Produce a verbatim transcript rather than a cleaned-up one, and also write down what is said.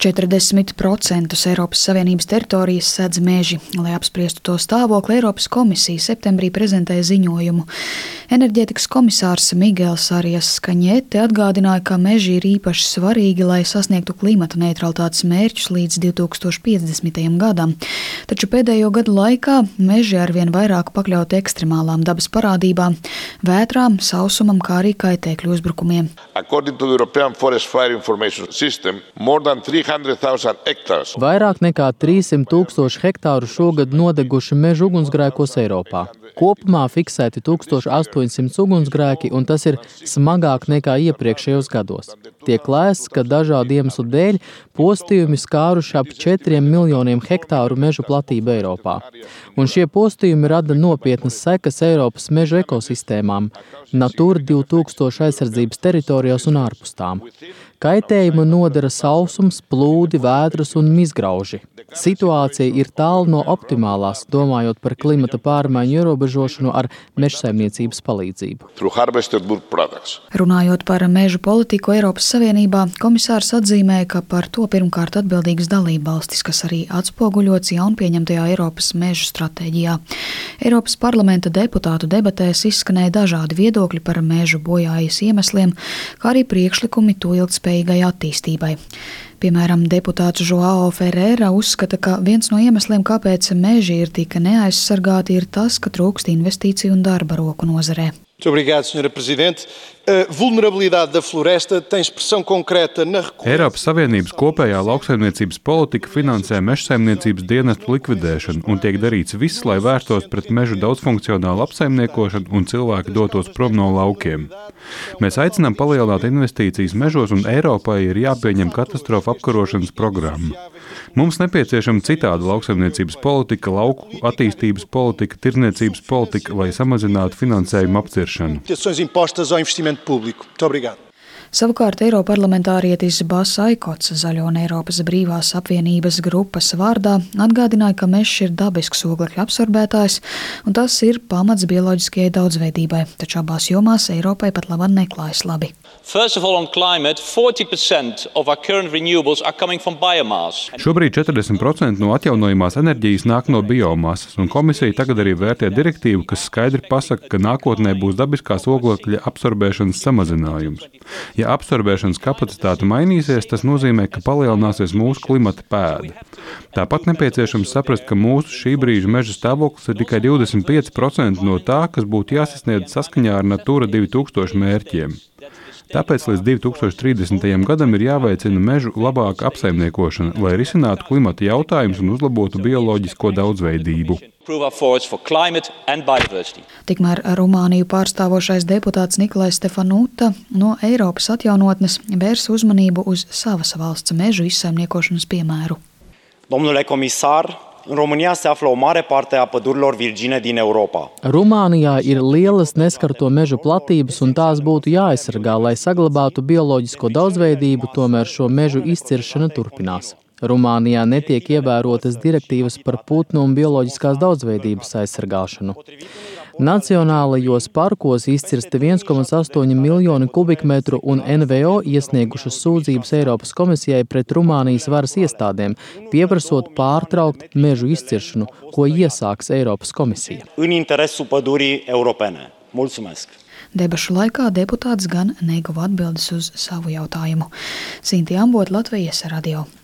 četrdesmit procentus Eiropas Savienības teritorijas sedz meži. Lai apspriestu to stāvokli, Eiropas komisija septembrī prezentēja ziņojumu. Enerģētikas komisārs Miguels Arias Kaņete atgādināja, ka meži ir īpaši svarīgi, lai sasniegtu klimata neutralitātes mērķus līdz divi tūkstoši piecdesmitajam gadam. Taču pēdējo gadu laikā meži arvien vairāk pakļauti ekstremālām dabas parādībām, vētrām, sausumam, kā arī kaitēkļu uzbrukumiem. According to the European Forest Fire Information System, more than three hundred thousand hectares. Vairāk nekā trīssimt tūkstoši hektāru šogad nodeguši mežu ugunsgrēkos Eiropā. Kopumā fiksēti tūkstoš astoņsimt ugunsgrēki, un tas ir smagāk nekā iepriekšējos gados. Tiek lēsts, ka dažādu iemeslu dēļ postījumi skāruši ap četriem miljoniem hektāru mežu platību Eiropā. Un šie postījumi rada nopietnas sekas Eiropas mežu ekosistēmām, Natūra divi tūkstoši aizsardzības teritorijās un ārpus tām. Kaitējumu nodara sausums, plūdi, vētras un mizgrauži. Situācija ir tālu no optimālās, domājot par klimata pārmaiņu ierobežošanu ar mežsaimniecības palīdzību. Runājot par mežu politiku Eiropas Savienībā, komisārs atzīmēja, ka par to pirmkārt atbildīgas dalībvalstis, kas arī atspoguļots jaunpieņemtajā Eiropas mežu stratēģijā. Eiropas parlamenta deputātu debatēs izskanēja dažādi viedokļi par mežu bojājas iemesliem, kā arī priekšlikumi to ilgtspējīgai attīstībai. Piemēram, deputāts Joao Ferreira uzskata, ka viens no iemesliem, kāpēc meži ir tik neaizsargāti, ir tas, ka trūkst investīciju un darba roku nozarē. Obrigado, senhora Presidente. A vulnerabilidade da floresta tem expressão concreta na Eiropas Savienības kopējā lauksaimniecības politika finansē mežsaimniecības dienestu likvidēšanu un tiek darīts viss, lai vērstos pret mežu daudzfunkcionālu apsaimniekošanu un cilvēki dotos prom no laukiem. Mēs aicinām palielināt investīcijas mežos un Eiropai ir jāpieņem katastrofu apkarošanas programma. Mums nepieciešama citāda lauksaimniecības politika, lauku attīstības politika, tirdzniecības politika, lai samazinātu finansējumu apciršanu. Savukārt eiroparlamentārietis Bas Aikots Zaļo un Eiropas brīvās apvienības grupas vārdā atgādināja, ka mežs ir dabisks oglekļa absorbētājs un tas ir pamats bioloģiskajai daudzveidībai, taču abās jomās Eiropai pat labāk neklājas labi. First of all, on climate, forty percent of our current renewables are coming from biomass. Šobrīd četrdesmit procenti no atjaunojamās enerģijas nāk no biomasas, un komisija tagad arī vērtē direktīvu, kas skaidri pasaka, ka nākotnē būs dabiskās oglekļa absorbēšanas samazinājums. Ja absorbēšanas kapacitāte mainīsies, tas nozīmē, ka palielināsies mūsu klimata pēda. Tāpat nepieciešams saprast, ka mūsu šī brīža meža stāvoklis ir tikai divdesmit pieci procenti no tā, kas būtu jāsasniedz saskaņā ar Natūra divi tūkstoši mērķiem. Tāpēc līdz divi tūkstoši trīsdesmitajam gadam ir jāveicina mežu labāka apsaimniekošana, lai risinātu klimata jautājumus un uzlabotu bioloģisko daudzveidību. Tikmēr Rumāniju pārstāvošais deputāts Nikolais Stefanuta no Eiropas atjaunotnes vērs uzmanību uz savas valsts mežu izsaimniekošanas piemēru. Domnule comisar, în România se află o mare parte a pădurilor virgine din Europa. Rumānijā ir lielas neskarto mežu platības un tās būtu jāaizsargā, lai saglabātu bioloģisko daudzveidību, tomēr šo mežu izciršana turpinās. Rumānijā netiek ievērotas direktīvas par putnu un bioloģiskās daudzveidības aizsargāšanu. Nacionālajos parkos izcirsti viens komats astoņi miljoni kubikmetru un N V O iesniegušas sūdzības Eiropas komisijai pret Rumānijas varas iestādēm, pieprasot pārtraukt mežu izciršanu, ko iesāks Eiropas komisija. În interesul pădurii europene. Mulțumesc! Debašu laikā deputāts gan neguva atbildes uz savu jautājumu. Sinti Ambot, Latvijas radio.